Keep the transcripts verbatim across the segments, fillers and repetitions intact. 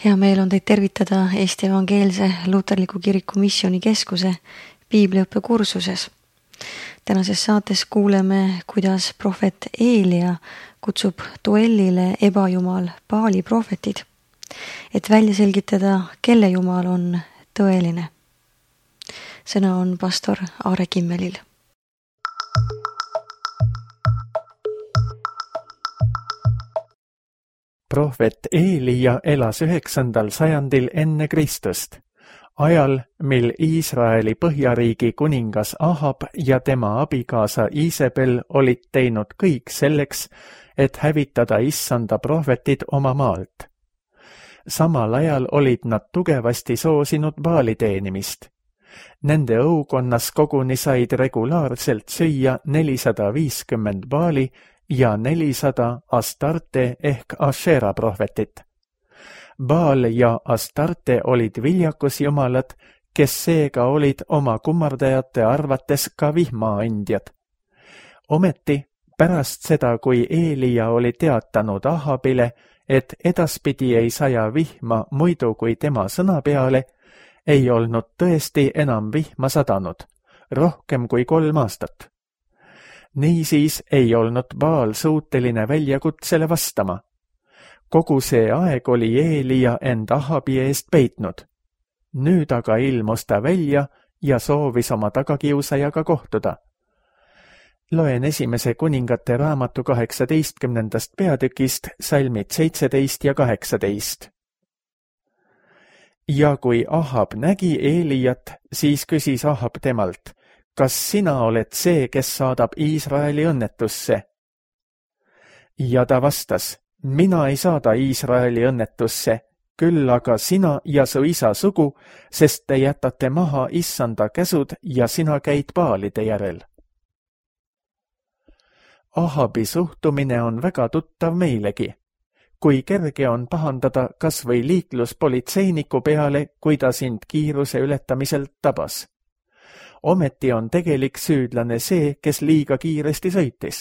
Hea meel on teid tervitada Eesti Evangeelse Luterliku Kiriku Missioonikeskuse piibliõppe kursuses. Tänases saates kuuleme, kuidas prohvet Eelia kutsub duellile ebajumal Baali prohvetid, et välja selgitada, kelle jumal on tõeline. Sõna on pastor Aare Kimmelil. Prohvet Eelia elas üheksandal sajandil enne Kristust, ajal, mil Iisraeli põhjariigi kuningas Ahab ja tema abikaasa Iisebel olid teinud kõik selleks, et hävitada issanda prohvetid oma maalt. Samal ajal olid nad tugevasti soosinud Baali teenimist. Nende õukonnas koguni said regulaarselt süüa nelisada viiskümmend Baali ja nelisada Astarte ehk Ashera prohvetit. Baal ja Astarte olid viljakusjumalad, kes seega olid oma kummardajate arvates ka vihmaandjad. Ometi, pärast seda, kui Eelia oli teatanud Ahabile, et edaspidi ei saja vihma muidu kui tema sõna peale, ei olnud tõesti enam vihma sadanud, rohkem kui kolm aastat. Niisiis ei olnud Baal suuteline väljakutsele vastama. Kogu see aeg oli Eelia end Ahabi eest peitnud. Nüüd aga ilmus ta välja ja soovis oma tagakiusajaga kohtuda. Loen esimese kuningate raamatu kaheksateistkümnendast peatükist salmid seitseteist ja kaheksateist. Ja kui Ahab nägi Eeliat, siis küsis Ahab temalt, kas sina oled see, kes saadab Iisraeli õnnetusse? Ja ta vastas, mina ei saada Iisraeli õnnetusse, küll aga sina ja su isa sugu, sest te jätate maha issanda käsud ja sina käid Baalide järel. Ahabi suhtumine on väga tuttav meilegi. Kui kerge on pahandada kas või liikluspolitseiniku peale, kui ta sind kiiruse ületamiselt tabas. Ometi on tegelik süüdlane see, kes liiga kiiresti sõitis.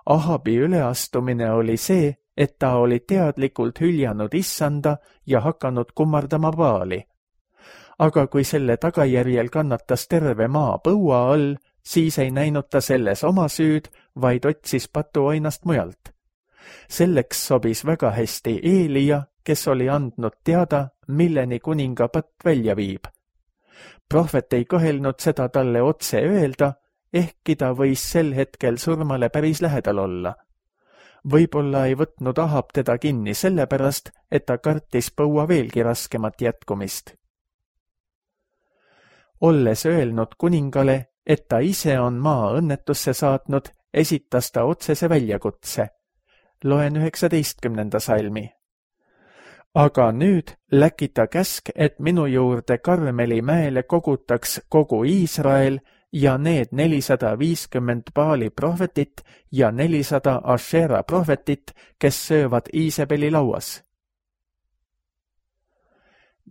Ahabi üleastumine oli see, et ta oli teadlikult hüljanud issanda ja hakanud kummardama Baali. Aga kui selle tagajärjel kannatas terve maa põua all, siis ei näinud ta selles oma süüd, vaid otsis patuoinast mujalt. Selleks sobis väga hästi Eelia, kes oli andnud teada, milleni kuninga patt välja viib. Prohvet ei kõhelnud seda talle otse öelda, ehkki ta võis sel hetkel surmale päris lähedal olla. Võib-olla ei võtnud Ahab teda kinni sellepärast, et ta kartis põua veelgi raskemat jätkumist. Olles öelnud kuningale, et ta ise on maa õnnetusse saatnud, esitas ta otsese väljakutse. Loen üheksateistkümnenda salmi. Aga nüüd läkita käsk, et minu juurde Karmeli mäele kogutaks kogu Iisrael ja need nelisada viiskümmend Baali prohvetit ja nelisada Ashera prohvetit, kes söövad Iisebeli lauas.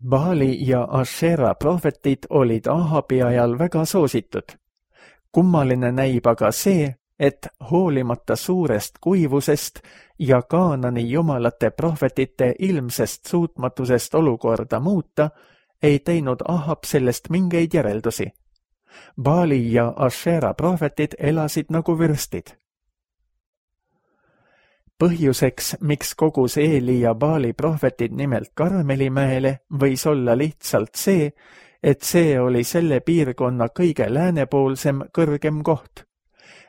Baali ja Ashera prohvetid olid Ahabi ajal väga soositud. Kummaline näib aga see, et hoolimata suurest kuivusest ja Kaanani jumalate prohvetite ilmsest suutmatusest olukorda muuta, ei teinud Ahab sellest mingeid järeldusi. Baali ja Ashera prohvetid elasid nagu vürstid. Põhjuseks, miks kogus Eelia Baali prohvetid nimelt Karmelimäele, võis olla lihtsalt see, et see oli selle piirkonna kõige läänepoolsem kõrgem koht.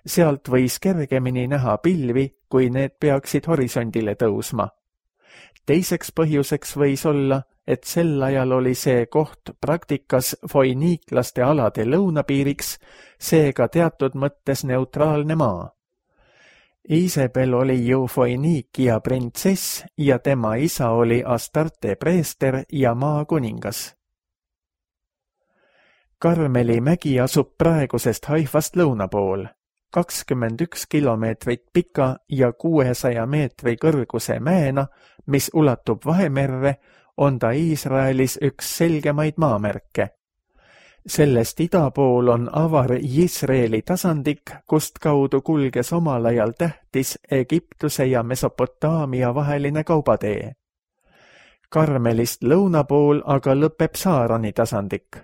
Sealt võis kergemini näha pilvi, kui need peaksid horisondile tõusma. Teiseks põhjuseks võis olla, et sel ajal oli see koht praktikas foiniiklaste alade lõunapiiriks, seega teatud mõttes neutraalne maa. Iisebel oli ju Foiniikia printsess ja tema isa oli Astarte preester ja maakuningas. Karmeli mägi asub praegusest Haifast lõuna pool. kakskümmend üks kilomeetrit pika ja kuuesaja meetri kõrguse mäena, mis ulatub Vahemerre, on ta Iisraelis üks selgemaid maamärke. Sellest ida pool on avar Jisreeli tasandik, kust kaudu kulges omal ajal tähtis Egiptuse ja Mesopotaamia vaheline kaubatee. Karmelist lõuna pool aga lõpeb Saarani tasandik.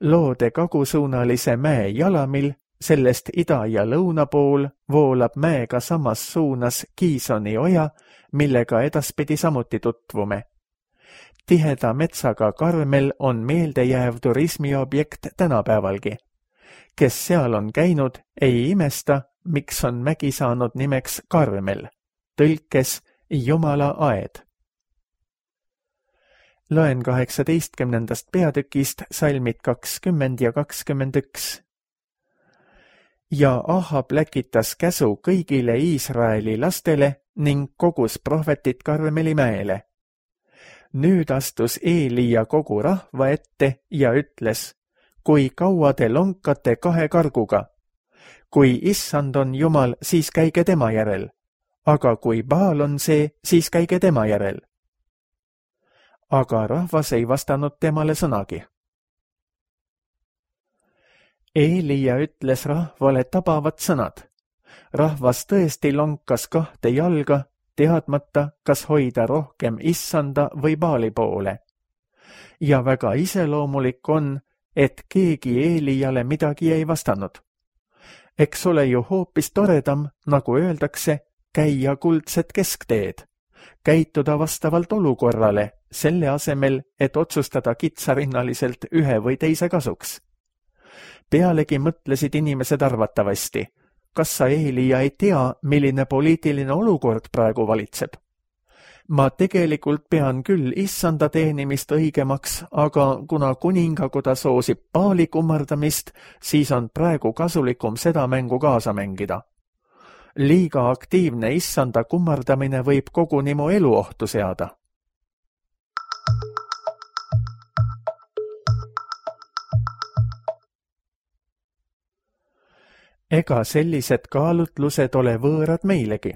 Loode kagusuunalise mäe jalamil, sellest ida ja lõuna pool voolab mäega samas suunas Kiisoni oja, millega edaspidi samuti tutvume. Tiheda metsaga Karmel on meeldejääv turismiobjekt tänapäevalgi. Kes seal on käinud, ei imesta, miks on mägi saanud nimeks Karmel, tõlkes Jumala aed. Loen kaheksateistkümnendast peatükist salmid kakskümmend ja kakskümmend üks. Ja Ahab läkitas käsu kõigile Iisraeli lastele ning kogus prohvetit Karmeli mäele. Nüüd astus Eelia kogu rahva ette ja ütles, kui kaua te lonkate kahe karguga. Kui issand on Jumal, siis käige tema järel, aga kui Baal on see, siis käige tema järel. Aga rahvas ei vastanud temale sõnagi. Eelia ütles rahvale tabavad sõnad. Rahvas tõesti lonkas kahte jalga, teadmata, kas hoida rohkem issanda või Baali poole. Ja väga iseloomulik on, et keegi Eeliale midagi ei vastanud. Eks ole ju hoopis toredam, nagu öeldakse, käia kuldset keskteed, käituda vastavalt olukorrale, selle asemel, et otsustada kitsarinnaliselt ühe või teise kasuks. Pealegi mõtlesid inimesed arvatavasti, kas sa Eelia ei tea, milline poliitiline olukord praegu valitseb. Ma tegelikult pean küll issanda teenimist õigemaks, aga kuna kuningakoda soosib Baali kummardamist, siis on praegu kasulikum seda mängu kaasa mängida. Liiga aktiivne issanda kummardamine võib koguni mu elu ohtu seada. Ega sellised kaalutlused ole võõrad meilegi.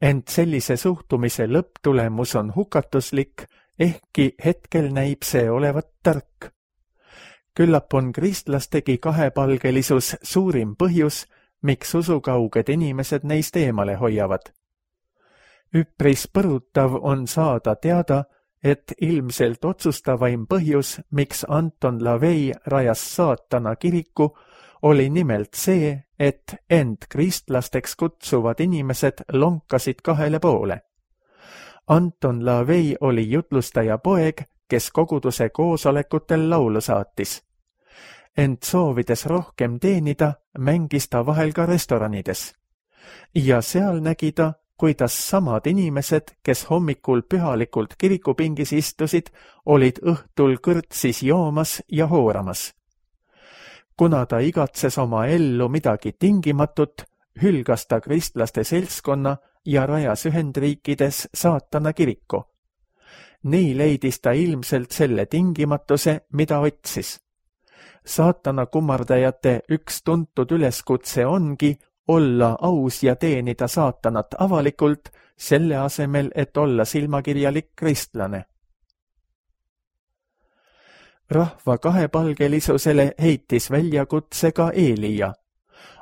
Ent sellise suhtumise lõpptulemus on hukatuslik, ehkki hetkel näib see olevat tark. Küllap on kristlastegi kahepalgelisus suurim põhjus, miks usukauged inimesed neist eemale hoiavad. Üpris põrutav on saada teada, et ilmselt otsustavaim põhjus, miks Anton LaVey rajas saatana kiriku, oli nimelt see, et end kristlasteks kutsuvad inimesed lonkasid kahele poole. Anton LaVey oli jutlustaja poeg, kes koguduse koosolekutel laulu saatis. Ent soovides rohkem teenida, mängis ta vahel ka restoranides. Ja seal nägi ta, kuidas samad inimesed, kes hommikul pühalikult kirikupingis istusid, olid õhtul kõrtsis joomas ja hooramas. Kuna ta igatses oma ellu midagi tingimatut, hülgas ta kristlaste seltskonna ja rajas Ühendriikides saatana kiriku. Nii leidis ta ilmselt selle tingimatuse, mida otsis. Saatana kummardajate üks tuntud üleskutse ongi olla aus ja teenida saatanat avalikult, selle asemel, et olla silmakirjalik kristlane. Rahva kahepalgelisusele heitis väljakutse ka Eelia,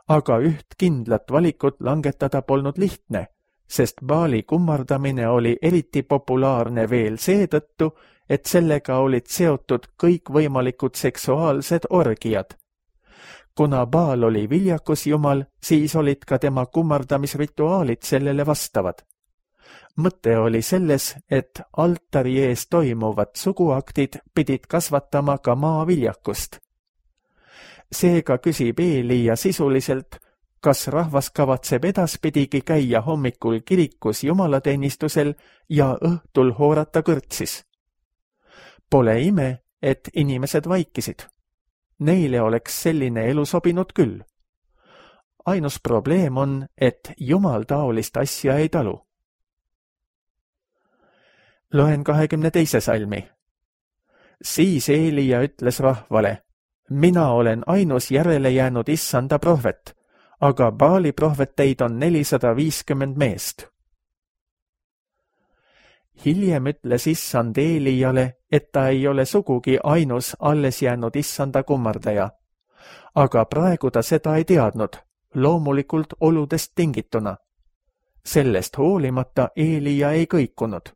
aga üht kindlat valikut langetada polnud lihtne, sest Baali kummardamine oli eriti populaarne veel seetõttu, et sellega olid seotud kõikvõimalikud seksuaalsed orgiad. Kuna Baal oli viljakusjumal, siis olid ka tema kummardamisrituaalid sellele vastavad. Mõte oli selles, et altari ees toimuvad suguaktid pidid kasvatama ka maaviljakust. Seega küsib Eelia sisuliselt, kas rahvas kavatseb edaspidigi käia hommikul kirikus jumalateenistusel ja õhtul hoorata kõrtsis. Pole ime, et inimesed vaikisid. Neile oleks selline elu sobinud küll. Ainus probleem on, et Jumal taolist asja ei talu. Loen kahekümne teise salmi. Siis Eelia ütles rahvale, mina olen ainus järele jäänud issanda prohvet, aga Baali prohveteid on nelisada viiskümmend meest. Hiljem ütles issand Eeliale, et ta ei ole sugugi ainus alles jäänud issanda kummardaja. Aga praegu ta seda ei teadnud, loomulikult oludest tingituna. Sellest hoolimata Eelia ei kõikunud.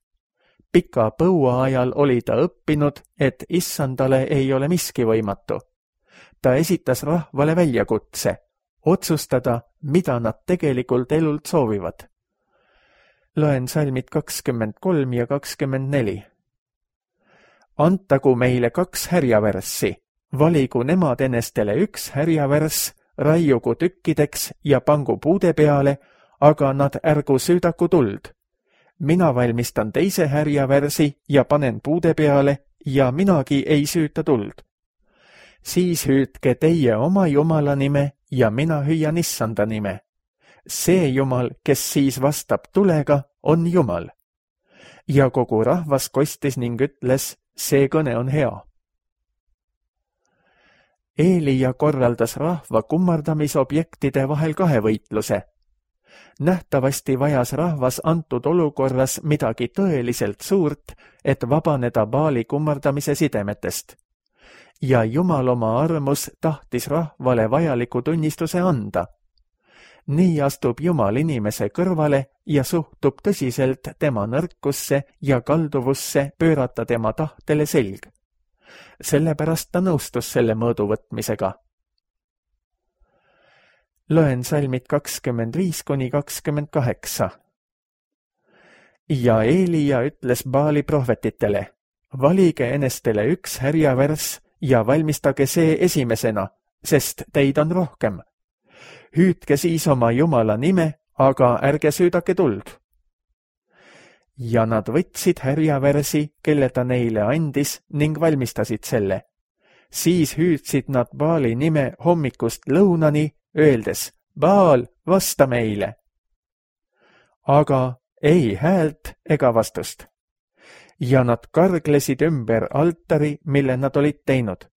Pika põua ajal oli ta õppinud, et issandale ei ole miski võimatu. Ta esitas rahvale väljakutse, otsustada, mida nad tegelikult elult soovivad. Loen salmid kakskümmend kolm ja kakskümmend neli. Antagu meile kaks härjavärssi, valigu nemad enestele üks härjavärss, raiugu tükkideks ja pangu puude peale, aga nad ärgu süüdaku tuld. Mina valmistan teise härjavärsi ja panen puude peale ja minagi ei süüta tuld. Siis hüüdke teie oma jumala nime ja mina hüüan issanda nime. See jumal, kes siis vastab tulega, on jumal. Ja kogu rahvas kostis ning ütles, see kõne on hea. Eelia korraldas rahva kummardamisobjektide vahel kahe võitluse. Nähtavasti vajas rahvas antud olukorras midagi tõeliselt suurt, et vabaneda Baali kummardamise sidemetest. Ja Jumal oma armus tahtis rahvale vajaliku tunnistuse anda. Nii astub Jumal inimese kõrvale ja suhtub tõsiselt tema nõrkusse ja kalduvusse pöörata tema tahtele selg. Sellepärast ta nõustus selle mõõdu võtmisega. Loen salmid kakskümmend viis kuni kakskümmend kaheksa. Ja Eelia ütles Baali prohvetitele, valige enestele üks härjavärss ja valmistage see esimesena, sest teid on rohkem. Hüüdke siis oma jumala nime, aga ärge süüdake tuld. Ja nad võtsid härjavärsi, kelle ta neile andis, ning valmistasid selle. Siis hüüdsid nad Baali nime hommikust lõunani, öeldes, Baal, vasta meile. Aga ei häält ega vastust. Ja nad karglesid ümber altari, mille nad olid teinud.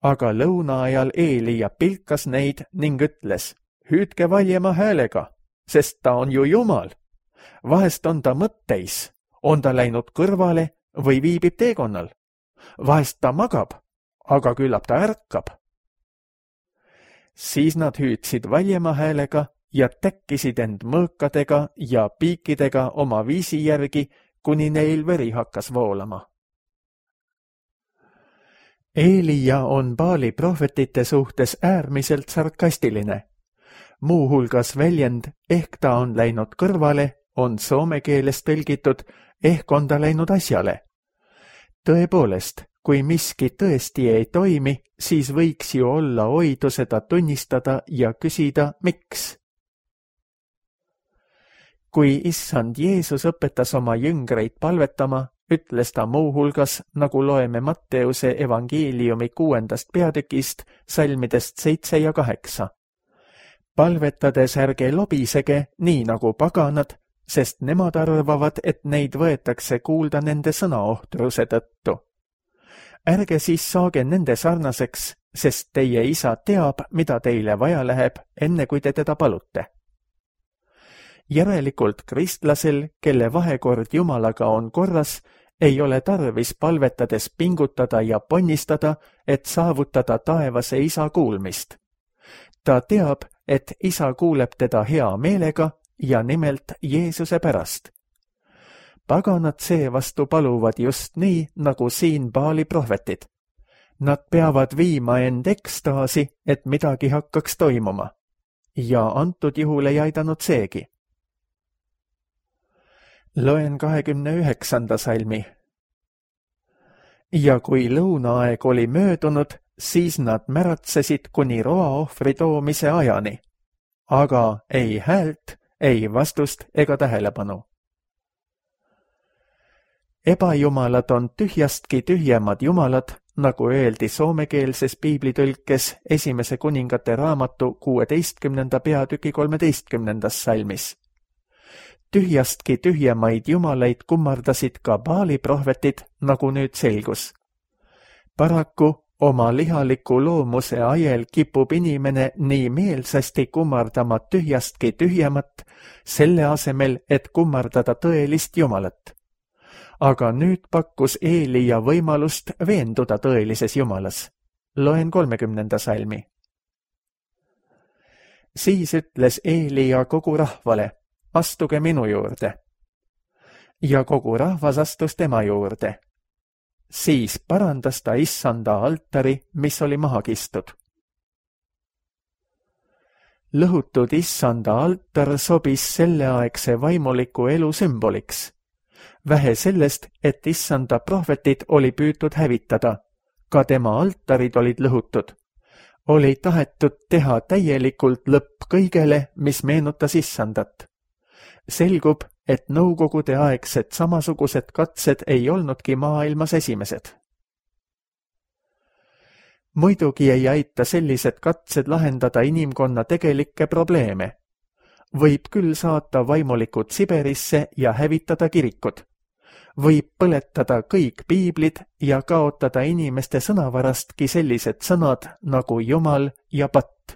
Aga lõuna ajal Eelia pilkas neid ning ütles, hüüdke valjema häälega, sest ta on ju Jumal. Vahest on ta mõtteis, on ta läinud kõrvale või viibib teekonnal. Vahest ta magab, aga küllap ta ärkab. Siis nad hüüdsid valjema häälega ja täkkisid end mõõkadega ja piikidega oma viisi järgi, kuni neil veri hakkas voolama. Eelia on Baali prohvetite suhtes äärmiselt sarkastiline. Muuhulgas väljend, ehk ta on läinud kõrvale, on soome keeles tõlgitud, ehk on ta läinud asjale. Tõepoolest, kui miski tõesti ei toimi, siis võiks ju olla oidu seda tunnistada ja küsida, miks. Kui issand Jeesus õpetas oma jüngreid palvetama, ütles ta muuhulgas, nagu loeme Matteuse evangeeliumi kuuendast peatükist, salmidest seitse ja kaheksa. Palvetades ärge lobisege, nii nagu paganad, sest nemad arvavad, et neid võetakse kuulda nende sõnaohtruse tõttu. Ärge siis saage nende sarnaseks, sest teie isa teab, mida teile vaja läheb, enne kui te teda palute. Järelikult kristlasel, kelle vahekord Jumalaga on korras, ei ole tarvis palvetades pingutada ja ponnistada, et saavutada taevase isa kuulmist. Ta teab, et isa kuuleb teda hea meelega ja nimelt Jeesuse pärast. Paganad seevastu paluvad just nii, nagu siin Baali prohvetid. Nad peavad viima end ekstaasi, et midagi hakkaks toimuma. Ja antud juhul ei aidanud seegi. Loen kahekümne üheksanda salmi. Ja kui lõunaaeg oli möödunud, siis nad märatsesid kuni roaohvri toomise ajani. Aga ei häält, ei vastust ega tähelepanu. Ebajumalad on tühjastki tühjemad jumalad, nagu öeldi soomekeelses piiblitõlkes esimese kuningate raamatu kuueteistkümnenda peatüki kolmeteistkümnendas salmis. Tühjastki tühjemaid jumalaid kummardasid ka Baali prohvetid, nagu nüüd selgus. Paraku oma lihaliku loomuse ajel kipub inimene nii meelsasti kummardama tühjastki tühjemat, selle asemel, et kummardada tõelist jumalat. Aga nüüd pakkus Eelia võimalust veenduda tõelises jumalas. Loen kolmekümnenda salmi. Siis ütles Eelia kogu rahvale, astuge minu juurde. ja kogu rahvas astus tema juurde. Siis parandas ta issanda altari, mis oli maha kistud. Lõhutud issanda altar sobis selleaegse vaimuliku elu sümboliks. Vähe sellest, et issanda prohvetid oli püütud hävitada, ka tema altarid olid lõhutud. Oli tahetud teha täielikult lõpp kõigele, mis meenutas issandat. Selgub, et nõukogude aegsed samasugused katsed ei olnudki maailmas esimesed. Muidugi ei aita sellised katsed lahendada inimkonna tegelikke probleeme. Võib küll saata vaimulikud Siberisse ja hävitada kirikud. Võib põletada kõik piiblid ja kaotada inimeste sõnavarastki sellised sõnad nagu jumal ja patt.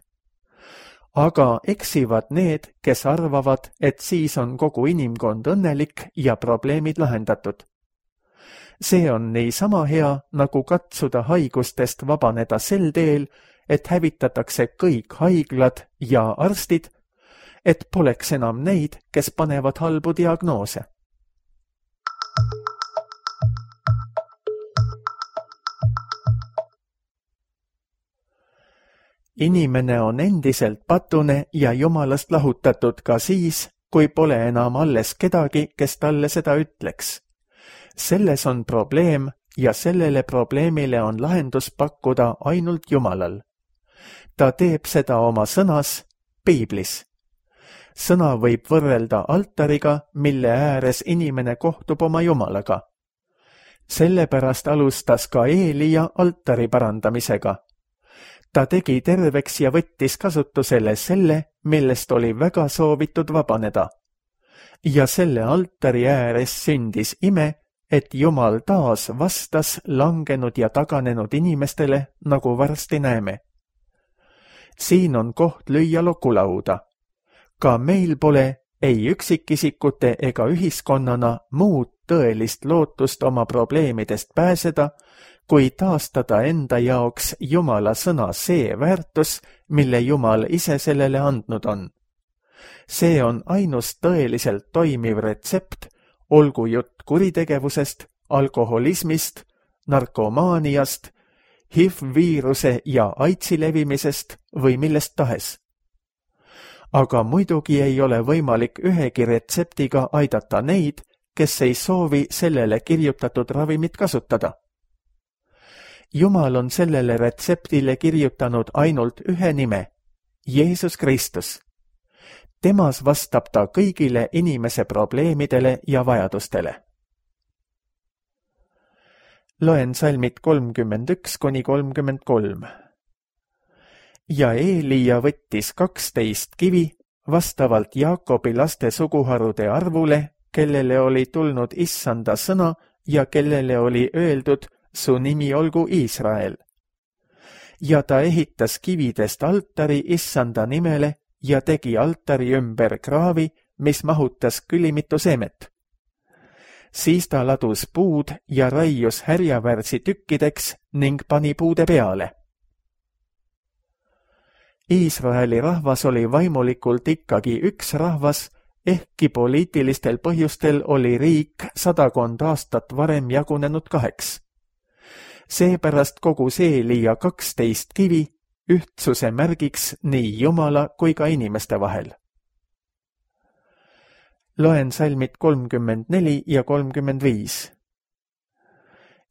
Aga eksivad need, kes arvavad, et siis on kogu inimkond õnnelik ja probleemid lahendatud. See on niisama hea, nagu katsuda haigustest vabaneda sel teel, et hävitatakse kõik haiglad ja arstid, et poleks enam neid, kes panevad halbu diagnoose. Inimene on endiselt patune ja jumalast lahutatud ka siis, kui pole enam alles kedagi, kes talle seda ütleks. Selles on probleem ja sellele probleemile on lahendus pakkuda ainult Jumalal. Ta teeb seda oma sõnas, piiblis. Sõna võib võrrelda altariga, mille ääres inimene kohtub oma Jumalaga. Sellepärast alustas ka Eelia altari parandamisega. Ta tegi terveks ja võttis kasutusele selle, millest oli väga soovitud vabaneda. Ja selle altari ääres sündis ime, et Jumal taas vastas langenud ja taganenud inimestele, nagu varsti näeme. Siin on koht lüüa lokulauda. Ka meil pole ei üksikisikute ega ühiskonnana muud tõelist lootust oma probleemidest pääseda, kui taastada enda jaoks Jumala sõna see väärtus, mille Jumal ise sellele andnud on. See on ainus tõeliselt toimiv retsept, olgu jutt kuritegevusest, alkoholismist, narkomaaniast, H I V-viiruse ja AIDSi levimisest või millest tahes. Aga muidugi ei ole võimalik ühegi retseptiga aidata neid, kes ei soovi sellele kirjutatud ravimit kasutada. Jumal on sellele retseptile kirjutanud ainult ühe nime, Jeesus Kristus. Temas vastab ta kõigile inimese probleemidele ja vajadustele. Loen salmid kolmkümmend üks kuni kolmkümmend kolm. Ja Eelia võttis kaksteist kivi vastavalt Jaakobi laste suguharude arvule, kellele oli tulnud issanda sõna ja kellele oli öeldud, su nimi olgu Iisrael. Ja ta ehitas kividest altari issanda nimele ja tegi altari ümber kraavi, mis mahutas külimitu seemet. Siis ta ladus puud ja raius härjavärsi tükkideks ning pani puude peale. Iisraeli rahvas oli vaimulikult ikkagi üks rahvas, ehkki poliitilistel põhjustel oli riik sadakond aastat varem jagunenud kaheks. Seepärast kogus Eelia kaksteist kivi ühtsuse märgiks nii Jumala kui ka inimeste vahel. Loen salmid kolmkümmend neli ja kolmkümmend viis.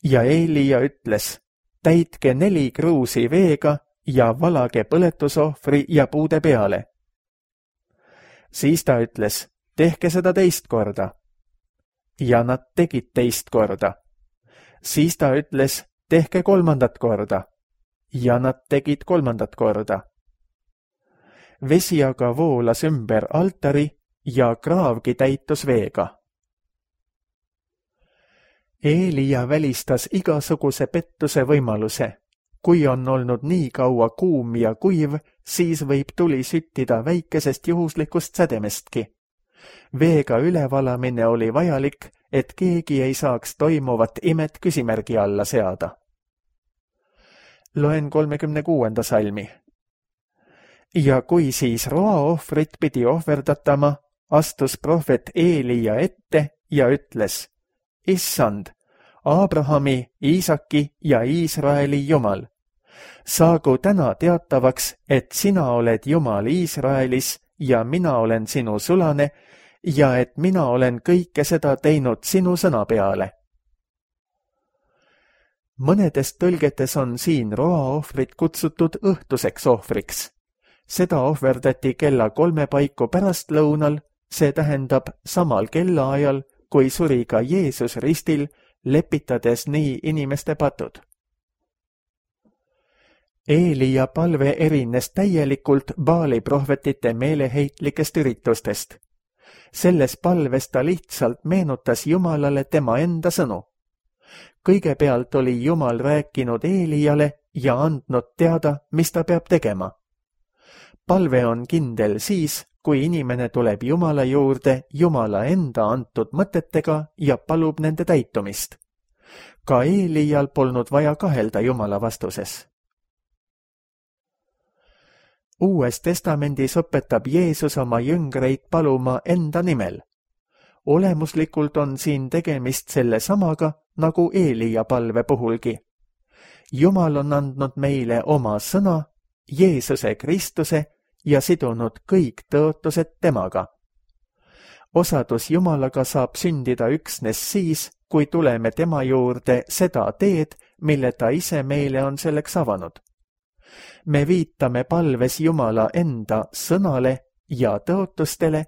Ja Eelia ütles, täitke neli kruusi veega ja valage põletusohvri ja puude peale. Siis ta ütles, tehke seda teist korda. Ja nad tegid teist korda. Siis ta ütles, tehke kolmandat korda. Ja nad tegid kolmandat korda. Vesi aga voolas ümber altari ja kraavgi täitus veega. Eelia välistas igasuguse pettuse võimaluse. Kui on olnud nii kaua kuum ja kuiv, siis võib tuli süttida väikesest juhuslikust sädemestki. Veega ülevalamine oli vajalik, et keegi ei saaks toimuvat imet küsimärgi alla seada. Loen kolmekümne kuuenda salmi. Ja kui siis roaohvrit pidi ohverdatama, astus prohvet Eelia ette ja ütles, Issand, Abrahami, Iisaki ja Iisraeli Jumal, saagu täna teatavaks, et sina oled Jumal Iisraelis ja mina olen sinu sulane ja et mina olen kõike seda teinud sinu sõna peale. Mõnedes tõlgetes on siin roaohvrit kutsutud õhtuseks ohvriks. Seda ohverdati kella kolme paiku pärastlõunal, see tähendab samal kellaajal, kui suri ka Jeesus ristil, lepitades nii inimeste patud. Eelia palve erines täielikult Baali prohvetite meeleheitlikest üritustest. Selles palves ta lihtsalt meenutas Jumalale tema enda sõnu. Kõigepealt oli Jumal rääkinud Eeliale ja andnud teada, mis ta peab tegema. Palve on kindel siis, kui inimene tuleb Jumala juurde Jumala enda antud mõtetega ja palub nende täitumist. Ka Eelial polnud vaja kahelda Jumala vastuses. Uues testamendis õpetab Jeesus oma jüngreid paluma enda nimel. Olemuslikult on siin tegemist selle samaga, nagu Eelia palve puhulgi. Jumal on andnud meile oma sõna, Jeesuse Kristuse, ja sidunud kõik tõotused temaga. Osadus Jumalaga saab sündida üksnes siis, kui tuleme tema juurde seda teed, mille ta ise meile on selleks avanud. Me viitame palves Jumala enda sõnale ja tõotustele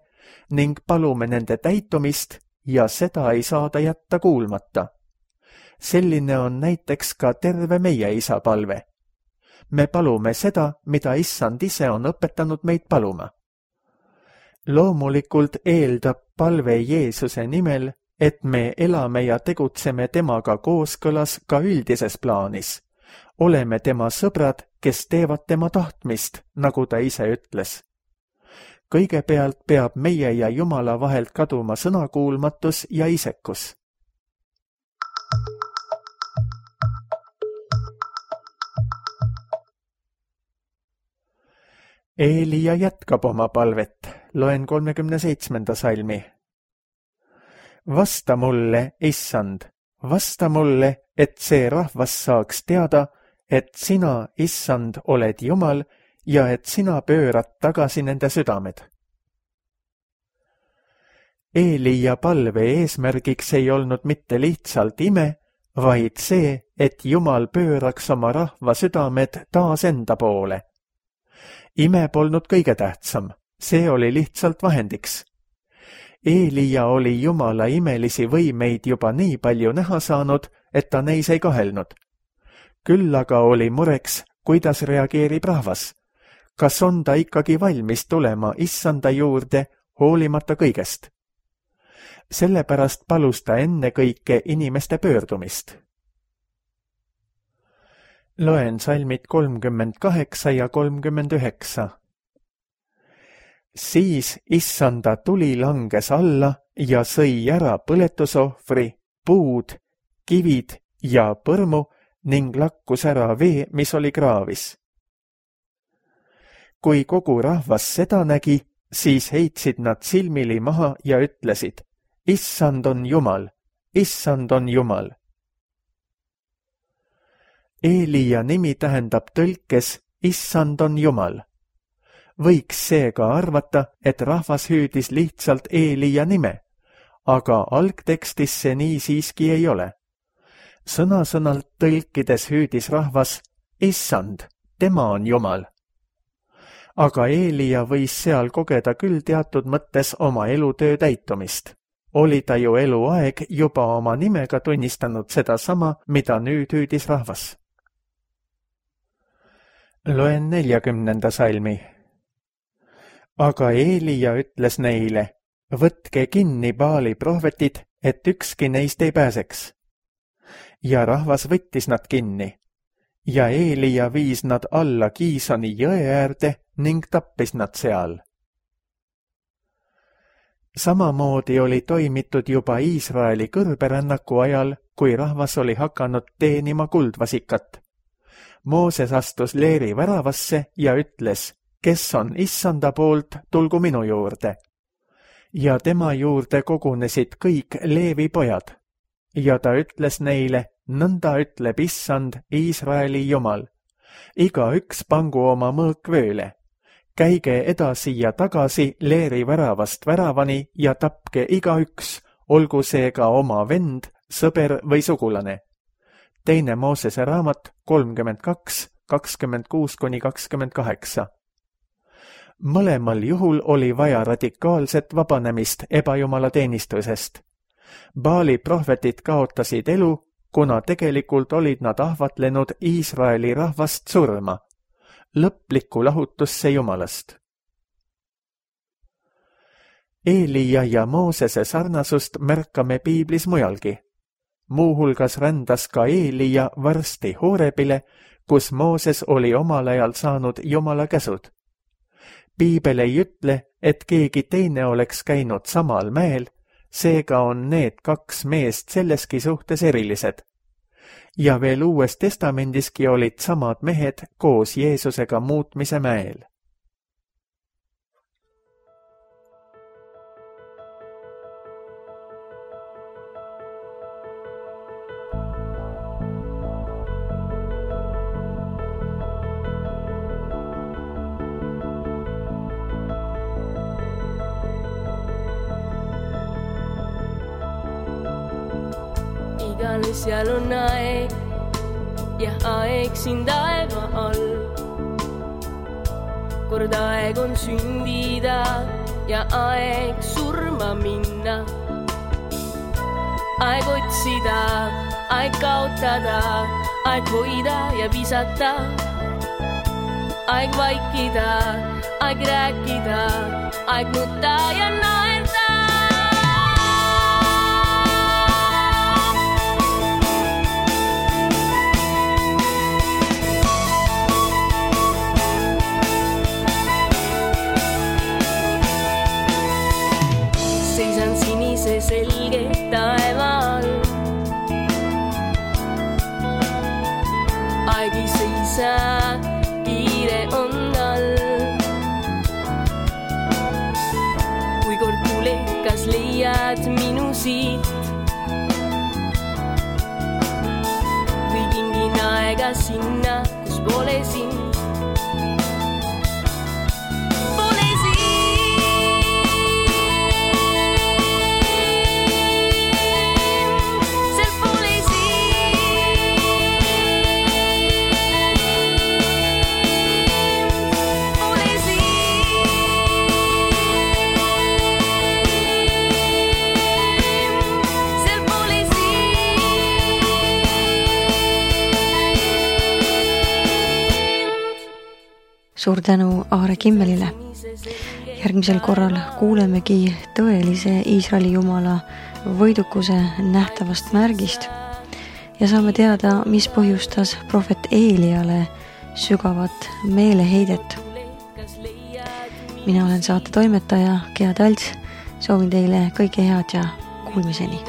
ning palume nende täitumist ja seda ei saada jätta kuulmata. Selline on näiteks ka terve meie isa palve. Me palume seda, mida Issand ise on õpetanud meid paluma. Loomulikult eeldab palve Jeesuse nimel, et me elame ja tegutseme temaga kooskõlas ka üldises plaanis. Oleme tema sõbrad, kes teevad tema tahtmist, nagu ta ise ütles. Kõigepealt peab meie ja Jumala vahelt kaduma sõnakuulmatus ja isekus. Eelia jätkab oma palvet, loen kolmekümne seitsmenda salmi. Vasta mulle, Issand, vasta mulle, et see rahvas saaks teada, et sina, Issand, oled Jumal ja et sina pöörad tagasi nende südamed. Eelia palve eesmärgiks ei olnud mitte lihtsalt ime, vaid see, et Jumal pööraks oma rahva südamed taas enda poole. Ime polnud kõige tähtsam, see oli lihtsalt vahendiks. Eelia oli Jumala imelisi võimeid juba nii palju näha saanud, et ta neis ei kahelnud. Küll aga oli mureks, kuidas reageerib rahvas. Kas on ta ikkagi valmis tulema Issanda juurde, hoolimata kõigest? Sellepärast palus ta ennekõike inimeste pöördumist. Loen salmid kolmkümmend kaheksa ja kolmkümmend üheksa. Siis Issanda tuli langes alla ja sõi ära põletusohvri, puud, kivid ja põrmu ning lakkus ära vee, mis oli kraavis. Kui kogu rahvas seda nägi, siis heitsid nad silmili maha ja ütlesid, Issand on Jumal, Issand on Jumal. Eelia nimi tähendab tõlkes Issand on Jumal. Võiks seega arvata, et rahvas hüüdis lihtsalt Eelia nime, aga algtekstis see nii siiski ei ole. Sõna-sõnalt tõlkides hüüdis rahvas Issand, tema on Jumal. Aga Eelia võis seal kogeda küll teatud mõttes oma elutöö täitumist. Oli ta ju eluaeg juba oma nimega tunnistanud seda sama, mida nüüd hüüdis rahvas. Loen neljakümnenda salmi. Aga Eelia ütles neile, võtke kinni Baali prohvetid, et ükski neist ei pääseks. Ja rahvas võttis nad kinni. Ja Eelia viis nad alla Kiisoni jõe äärde ning tappis nad seal. Samamoodi oli toimitud juba Iisraeli kõrberännaku ajal, kui rahvas oli hakanud teenima kuldvasikat. Mooses astus leeri väravasse ja ütles, kes on Issanda poolt, tulgu minu juurde. ja tema juurde kogunesid kõik Leevi pojad. Ja ta ütles neile, nõnda ütleb Issand, Iisraeli Jumal. Igaüks pangu oma mõõk vööle. Käige edasi ja tagasi Leeri väravast väravani ja tapke igaüks, olgu see ka oma vend, sõber või sugulane. Teine Moosese raamat kolmkümmend kaks, kakskümmend kuus kuni kakskümmend kaheksa. Mõlemal juhul oli vaja radikaalset vabanemist ebajumala teenistusest. Baali prohvetid kaotasid elu, kuna tegelikult olid nad ahvatlenud Iisraeli rahvast surma, lõplikku lahutusse Jumalast. Eelia ja Moosese sarnasust märkame piiblis mujalgi. Muuhulgas rändas ka Eelia varsti Horebile, kus Mooses oli omal ajal saanud Jumala käsud. Piibel ei ütle, et keegi teine oleks käinud samal mäel, seega on need kaks meest selleski suhtes erilised. Ja veel Uues Testamendiski olid samad mehed koos Jeesusega muutmise mäel. Igale seal on aeg ja aeg siin taeva all. Kord aeg on sündida ja aeg surma minna. Aeg otsida, aeg kaotada, aeg hoida ja visata. Aeg vaikida, aeg rääkida, aeg nutta ja naerda. Sinise selge taeval. Aeg ei seisa, kiire on all. Kui kord tulekas leiad minu siit, või kingin aega sinna, kus pole sind. Suur tänu Aare Kimmelile. Järgmisel korral kuulemegi tõelise Iisraeli Jumala võidukuse nähtavast märgist ja saame teada, mis põhjustas prohvet Eeliale sügavat meeleheidet. Mina olen saate toimetaja Gea Talts, soovin teile kõike head ja kuulmiseni.